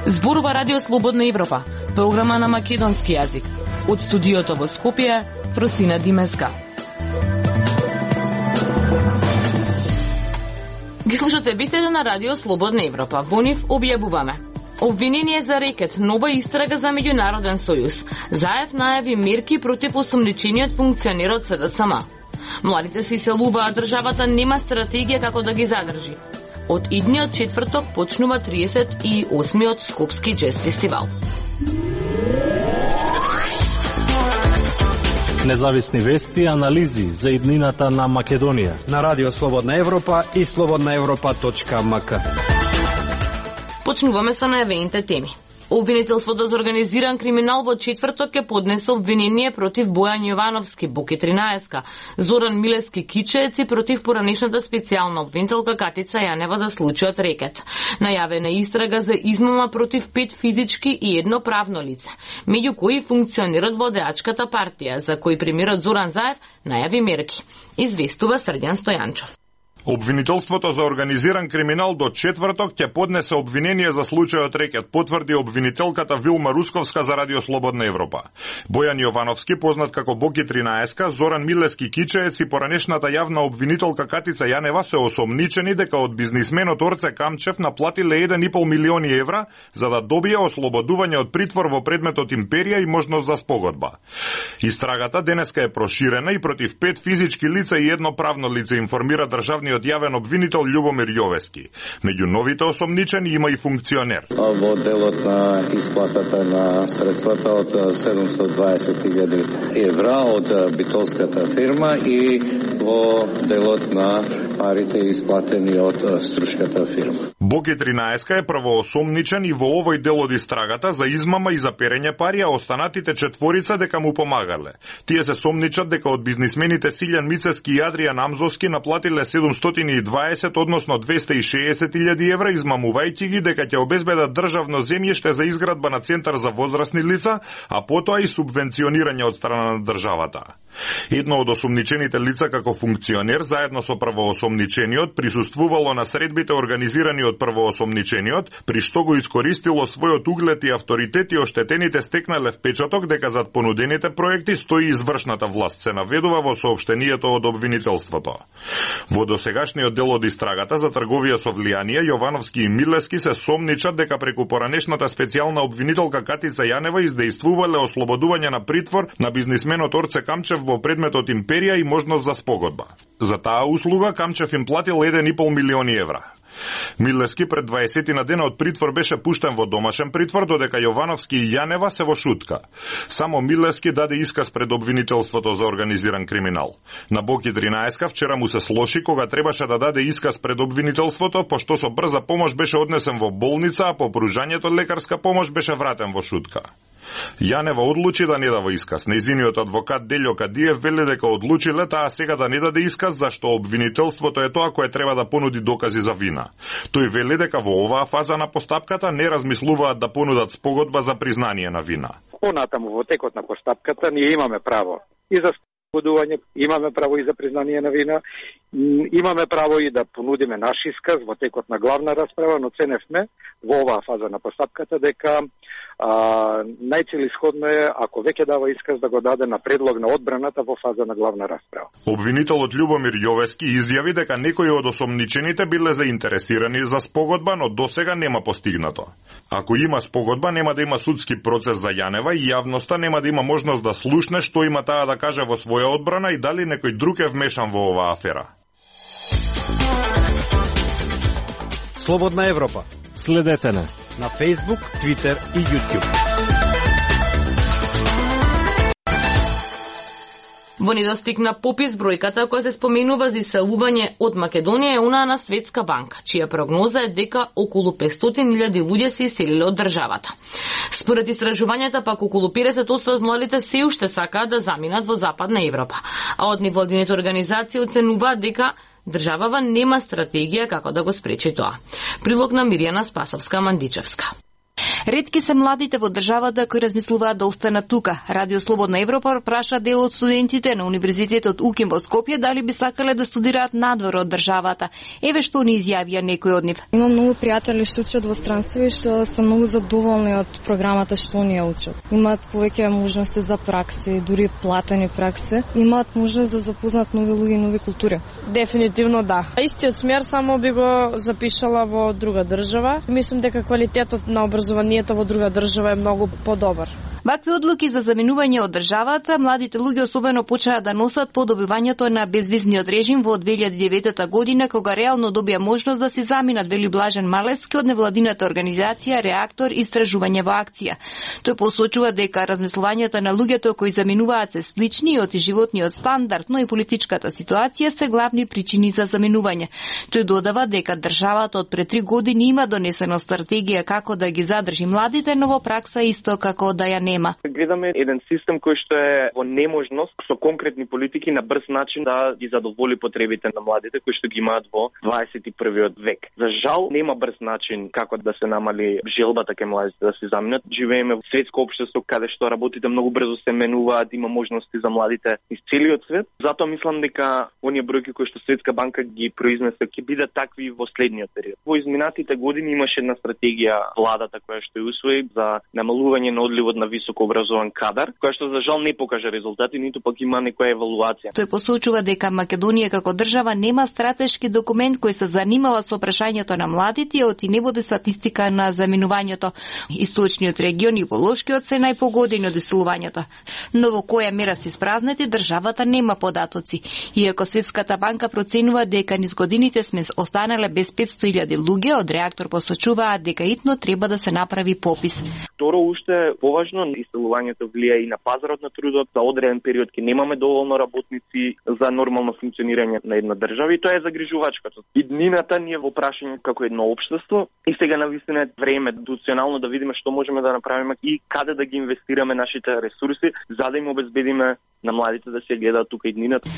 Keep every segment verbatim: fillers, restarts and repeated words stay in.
Зборува Радио Слободна Европа, програма на македонски јазик. Од студиото во Скопје, Фросина Димеска. Ги слушате вестите на Радио Слободна Европа. Во нив објавуваме: обвинение за рекет, нова истрага за меѓународен сојуз. Заев најави мерки против осомничениот функционер од С Д С М. Младите се иселуваат, државата нема стратегија како да ги задржи. Од идниот четврток почнува триесет и осмиот Скопски джез фестивал. Независни вести и анализи за иднината на Македонија на Радио Слободна Европа и слободна европа точка ем ка. Почнуваме со најавените теми. Обвинителството за организиран криминал во четврток ќе поднесе обвинение против Бојан Јовановски, Боки тринаесет, Зоран Милески Кичеец и против поранешната специјална обвинителка Катица Јанева за случајот рекет. Најавена истрага за измама против пет физички и едно правно лице, меѓу кои функционерот во Одеачката партија, за кој премиерот Зоран Заев најави мерки. Известува Срдјан Стојанчов. Обвинителството за организиран криминал до четврток ќе поднесе обвинение за случајот рекет, потврди обвинителката Вилма Русковска за Радио Слободна Европа. Бојан Јовановски, познат како Боки тринаесет, Зоран Милески Кичеец и поранешната јавна обвинителка Катица Јанева се осомничени дека од бизнисменот Орце Камчев наплатиле еден и пол милиони евра за да добие ослободување од притвор во предметот Империја и можност за спогодба. Истрагата денеска е проширена и против пет физички лица и едно правно лице, информира државниот јавен обвинител Љубомир Јовески. Меѓу новите осомничени има и функционер. Во делот на исплатата на средствата од седумстотини и дваесет илјади евра од битолската фирма и во делот на парите исплатени од струшката фирма. Боки тринаесет е првоосомничен и во овој дел од истрагата за измама и за перење пари, а останатите четворица дека му помагале. Тие се сомничат дека од бизнисмените Силјан Мицевски и Адријан Амзовски наплатиле седумстотини и дваесет, односно двесте и шеесет илјади евра, измамувајќи ги дека ќе обезбедат државно земјиште за изградба на центар за возрастни лица, а потоа и субвенционирање од страна на државата. Едно од осомничените лица како функционер, заедно со првоосомничениот, присуствувало на средбите организирани од првоосомничениот, при што го искористило својот углед и авторитет и оштетените стекнале впечаток дека зад понудените проекти стои извршната власт, се наведува во соопштението од обвинителството. Во досегашниот дел од истрагата за трговија со влијание, Јовановски и Милески се сомничат дека преку поранешната специјална обвинителка Катица Јанева издејствувале ослободување на притвор на бизнисменот Орце Камчев во предметот Империја и можност за спогодба. За таа услуга Камчев им платил еден и пол милиони евра. Милески пред дваесетина дена од притвор беше пуштен во домашен притвор, додека Јовановски и Јанева се во шутка. Само Милески даде исказ пред обвинителството за организиран криминал. На Боки тринаесет вчера му се слоши кога требаше да даде исказ пред обвинителството, пошто со брза помош беше однесен во болница, а по пружањето лекарска помош беше вратен во шутка. Јанева одлучи да не дава исказ. Нејзиниот адвокат Делјо Кадиев вели дека одлучиле таа сега да не даде исказ, зашто обвинителството е тоа кое треба да понуди докази за вина. Тој вели дека во оваа фаза на постапката не размислуваат да понудат спогодба за признание на вина. Понатаму во текот на постапката ние имаме право и за спогодување, имаме право и за признание на вина, имаме право и да понудиме наш исказ во текот на главна расправа, но ценевме во оваа фаза на постапката дека а, најцелисходно е, ако веќе дава исказ, да го даде на предлог на одбраната во фаза на главна расправа. Обвинителот Љубомир Јовески изјави дека некои од осомничените биле заинтересирани за спогодба, но досега нема постигнато. Ако има спогодба, нема да има судски процес за Јанева и јавноста нема да има можност да слушне што има таа да каже во своја одбрана и дали некој друг е вмешан во оваа афера. Слободна Европа. Следете на на Facebook, Twitter и YouTube. Во недостигна попис бројката која се споменува за иселување од Македонија е онаа на Светска банка, чија прогноза е дека околу петстотини илјади луѓе се иселиле од државата. Според истражувањата пак околу педесет одсто од младите се уште сакаат да заминат во Западна Европа, а од невладините организации оценуваат дека државава нема стратегија како да го спречи тоа. Прилог на Миријана Спасовска-Мандичевска. Ретки се младите во државата кои размислуваат да останат тука. Радио Слободна Европа праша дел од студентите на Универзитетот УКИМ во Скопје дали би сакале да студираат надвор од државата. Еве што ни изјавија некои од нив. Имам многу пријатели што учат во странство и што се многу задоволни од програмата што ние учат. Имаат повеќе можности за пракси, дури платени пракси. Имаат можност да запознаат нови луѓе и нови култури. Дефинитивно да. Истиот смер само би го запишала во друга држава. Мислам дека квалитетот на образованието во друга држава е многу подобар. Вакви одлуки за заминување од државата, младите луѓе особено почнаа да носат по добивањето на безвизниот режим во две илјади и девета година, кога реално добија можност да се заминат, вели Блажен Малевски од невладината организација Реактор Истражување во акција. Тој посочува дека размислувањата на луѓето кои заминуваат се слични од животниот стандард, но и политичката ситуација се главни причини за заминување. Тој додава дека државата од пред три години има донесена стратегија како да ги задржи младите, но во пракса исто како да ја нема. Гледаме еден систем кој што е во неможност со конкретни политики на брз начин да ги задоволи потребите на младите кои што ги имаат во дваесет и првиот век. За жал нема брз начин како да се намали желбата кај младите да се заминат. Живееме во светско општество каде што работите многу брзо се менуваат, има можности за младите из целиот свет. Затоа мислам дека оние бројки кои што Светска банка ги произнесе ќе бидат такви во следниот период. Во изминатите години имаше една стратегија владата која што ја усвои за намалување на одливот на високо образован кадар, која што за жал не покажа резултати, ниту пак има некоја евалуација. Тој посочува дека Македонија како држава нема стратешки документ кој се занимава со прашањето на младите и оти не води статистика на заминувањето. Источниот регион и Волошкиот се најпогодени од иселувањето. Но во која мера се испразнети државата нема податоци. Иако Светската банка проценува дека низ годините сме останале без петсто илјади луѓе, од Реактор посочуваат дека итно треба да се направи попис. Второ, уште поважно, иселувањето влија и на пазарот на трудот. За одреден период ќе немаме доволно работници за нормално функционирање на една држава и тоа е загрижувачко. Иднината ни е во прашање како едно општество и сега навистина е време институционално да видиме што можеме да направиме и каде да ги инвестираме нашите ресурси за да им обезбедиме на младите да се гледаат тука иднината.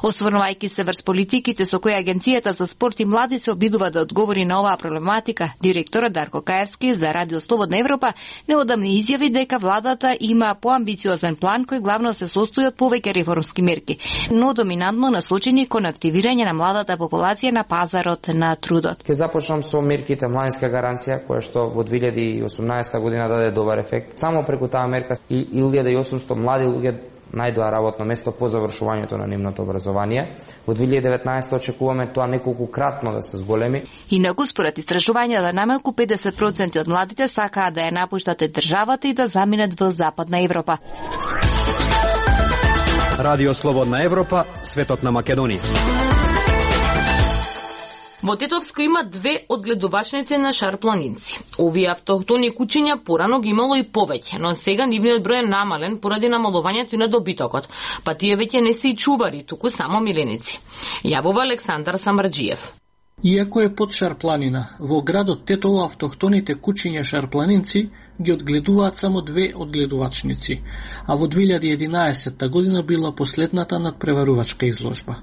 Осврнувајќи се врз политиките со кои Агенцијата за спорт и млади се обидува да одговори на оваа проблематика, директорот Дарко Каевски за Радио Слободна Европа неодамна изјави дека владата има поамбициозен план кој главно се состои од повеќе реформски мерки, но доминантно насочени кон активирање на младата популација на пазарот на трудот. Ќе започнам со мерките младинска гаранција која што во две илјади и осумнаесета година даде добар ефект. Само преку таа мерка и илјада и осумсто млади луѓе најдоа работно место по завршувањето на нивното образование. Во две илјади и деветнаесета очекуваме тоа неколкукратно да се зголеми. Инаку според истражувањата најмалку педесет проценти од младите сакаат да ја напуштат државата и да заминат во Западна Европа. Радио Слободна Европа, светот на Македонија. Во Тетовско има две одгледувачници на шарпланинци. Овие автохтони кучиња порано ги имало и повеќе, но сега нивниот број е намален поради намалувањето и на добитокот, па тие веќе не се и чувари, туку само миленици. Јавува Александар Самарџиев. Иако е под Шарпланина, во градот Тетово автохтоните кучиња шарпланинци ги одгледуваат само две одгледувачници, а во две илјади и единаесетта година била последната надпреварувачка изложба.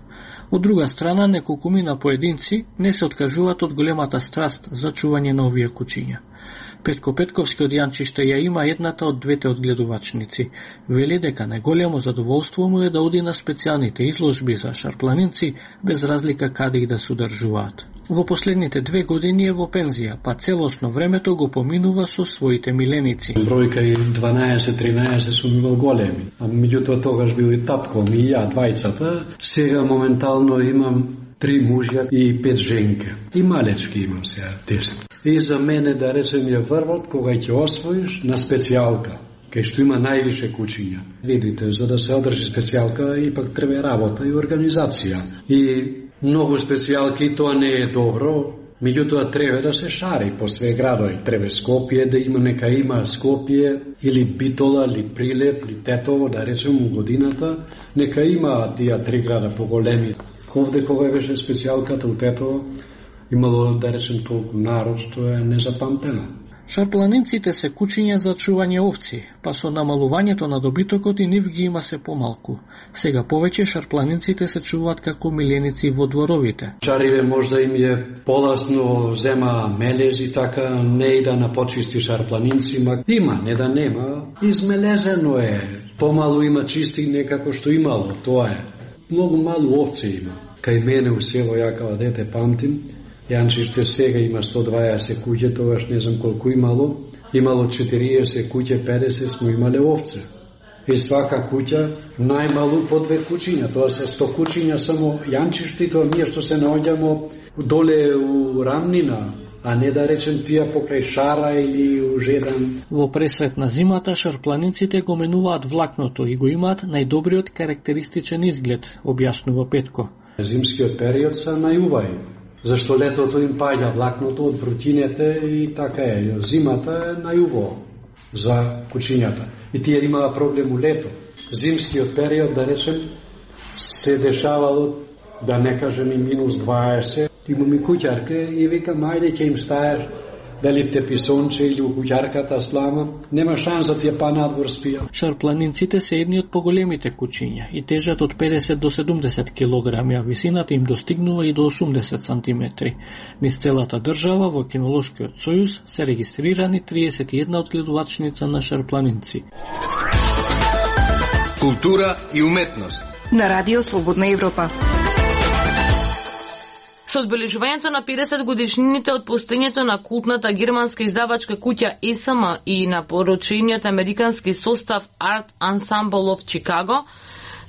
Од друга страна, неколкумина поединци не се откажуваат од големата страст за чување на овие кучиња. Петко Петковски од Јанчиште ја има едната од двете одгледувачници. Вели дека најголемо задоволство му е да оди на специјалните изложби за шарпланинци, без разлика каде и да се одржуваат. Во последните две години е во пензија, па целосно времето го поминува со своите миленици. Бројка и дванаесет-тринаесет сум имал големи, а меѓутоа тогаш бил и татко ми и ја двајцата. Сега моментално имам три мужја и пет женки. И малечки имам сега десет. И за мене да речем ја врвот кога ќе освоиш на специјалка, кај што има највише кучиња. Видите, за да се одржи специјалка ипак треба работа и организација. И многу специјалки тоа не е добро, меѓутоа треба да се шари по све градови. Треба Скопје да има, нека има Скопје или Битола, или Прилеп, или Тетово, да речем у годината, нека има тие три града поголеми. Овде кога беше специјалката у Тетово, имало, да речем, толку народ, што е незапамтено. Шарпланинците се кучиња за чување овци, па со намалувањето на добитокот и нив ги има се помалку. Сега повеќе шарпланинците се чуваат како миленици во дворовите. Чариве можда им е поласно, зема мелез и така, не и да напочисти шарпланинци, ма има, не да нема. Измелезено е, помалу има чисти некако што имало, тоа е. Многу малу овци има. Кај мене у село, ја као дете памтим, Јанчиште сега има сто дваесет куќе, тогаш не знам колку имало. Имало четириесет куќе, педесет смо имале овце. И свака куќа најмалу по две кучиња, тоа се сто кучиња само Јанчиште, тоа ние што се наоѓамо доле у рамнина, а не да речем тие покрај Шара или у Жедан. Во пресрет на зимата шарпланинците го менуваат влакното и го имаат најдобриот карактеристичен изглед, објаснува Петко. Зимскиот период се најубави, зашто летото им паѓа влакното од врутинете и така е. Зимата е најубаво за кучињата. И тие имаа проблем у лето. Зимскиот период, да речем, се дешавало, да не кажем и минус дваесет. Имам и куќарка и викам, ајде ќе им стаеш дали теписонче или у куќарката слама, нема шанса тие па надвор спија. Шарпланинците се едни од поголемите кучиња и тежат од педесет до седумдесет килограми, а висината им достигнува и до осумдесет сантиметри. Низ целата држава во Кинолошкиот сојуз се регистрирани триесет и една одгледувачница на шарпланинци. Култура и уметност на Радио Слободна Европа. Со одбележувањето на педесет годишнините од постоењето на култната германска издавачка куќа Ес Ем и на порочениот американски состав Art Ensemble of Chicago,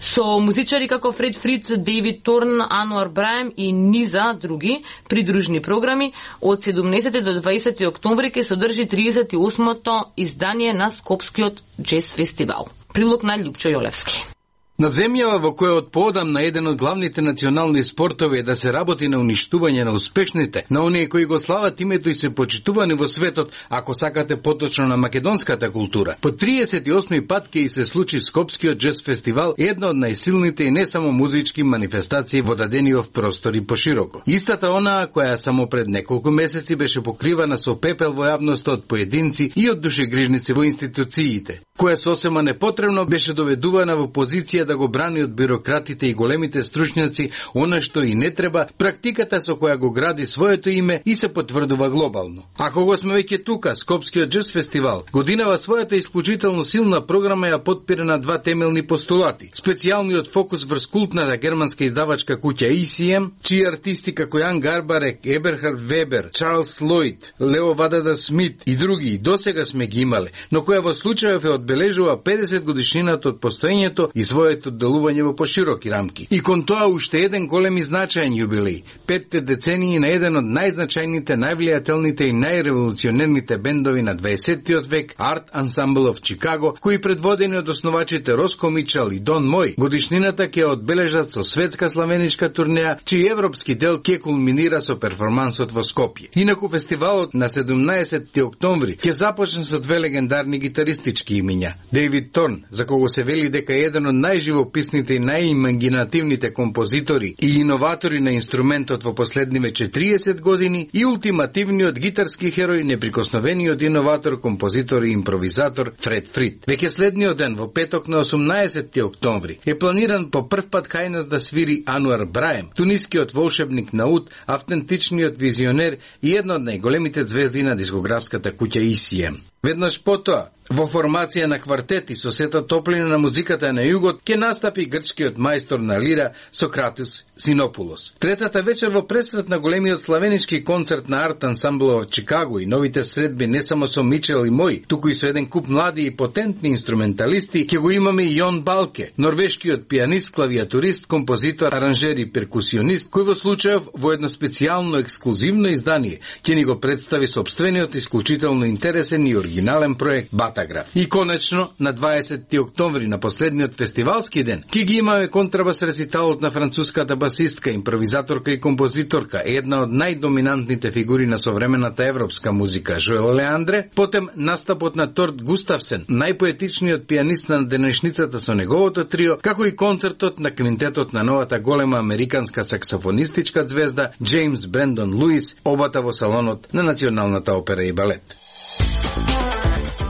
со музичари како Фред Фриц, Дейвид Торн, Ануар Браем и низа други придружни програми, од седумнесети до дваесети октомври ќе содржи тридесет и осмото издание на Скопскиот джез фестивал. Прилог на Љупчо Јолевски. На земјава во која од поодамна еден од главните национални спортови е да се работи на уништување на успешните, на оние кои го слават името и се почитувани во светот, ако сакате поточно на македонската култура. По триесет и осми пат ќе и се случи Скопскиот джез фестивал, една од најсилните и не само музички манифестации во дадениот простор и пошироко. Истата онаа која само пред неколку месеци беше покривана со пепел во јавноста од поединци и од душегрижници во институциите, која сосема непотребно беше доведувана во позиција да го брани од бирократите и големите стручњаци она што и не треба, практиката со која го гради своето име и се потврдува глобално. Ако го сме веќе тука, Скопскиот джез фестивал годинава својата исклучително силна програма ја потпира на два темелни постулати. Специјалниот фокус врз култната германска издавачка куќа Ес Ем, чии артисти како Јан Гарбарек, Еберхард Вебер, Чарлс Лојд, Лео Вадада Смит и други досега сме ги имале, но која во случајов е одбележува педесет годишнината од постоењето и своето делување во пошироки рамки. И кон тоа уште еден голем и значаен јубилеј, петте децении на еден од најзначајните, највлијателните и најреволуционерните бендови на дваесеттиот век, Art Ensemble of Chicago, кои предводени од основачите Роско Мичел и Дон Мој, годишнината ќе одбележат со светска славеничка турнеја, чиј европски дел ќе кулминира со перформансот во Скопје. Инаку фестивалот на седумнаесети октомври ќе започне со две легендарни гитаристички имиња. Дейвид Торн, за кого се вели дека е еден од најживописните и најимагинативните композитори и иноватори на инструментот во последниве четириесет години, и ултимативниот гитарски херој, неприкосновениот иноватор, композитор и импровизатор Фред Фрид. Веќе следниот ден, во петок на осумнаесети октомври, е планиран по прв пат кај нас да свири Ануар Браем, тунискиот волшебник на уд, автентичниот визионер и една од најголемите звезди на дискографската куќа Ес Ем. Веднаш потоа, во формација на квартети со сета топлина на музиката на југот, ќе настапи грчкиот мајстор на лира Сократис Синопулос. Третата вечер во пресрет на големиот славенички концерт на Art Ensemble од Чикаго и новите средби не само со Мичел и Мој, туку и со еден куп млади и потентни инструменталисти, ќе го имаме и Јон Балке, норвешкиот пианист, клавиатурист, композитор, аранжер и перкусионист, кој во случајов во едно специјално ексклузивно издание ќе ни го представи собствениот исклучително интересен и оригинален проект Батаграф. И конечно, на дваесети октомври, на последниот фестивалски ден, ќе ги имаме контрабас рециталот на француската басистка, импровизаторка и композиторка, една од најдоминантните фигури на современата европска музика, Жоел Леандре, потем настапот на Торт Густавсен, најпоетичниот пианист на денешницата со неговото трио, како и концертот на квинтетот на новата голема американска саксофонистичка звезда Джеймс Брендон Луис, обата во салонот на Националната опера и балет.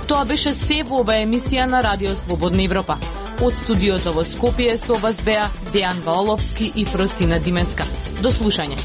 Тоа беше се во ова емисија на Радио Слободна Европа. Од студиото во Скопје со вас беа Дејан Валовски и Фросина Димеска. До слушање.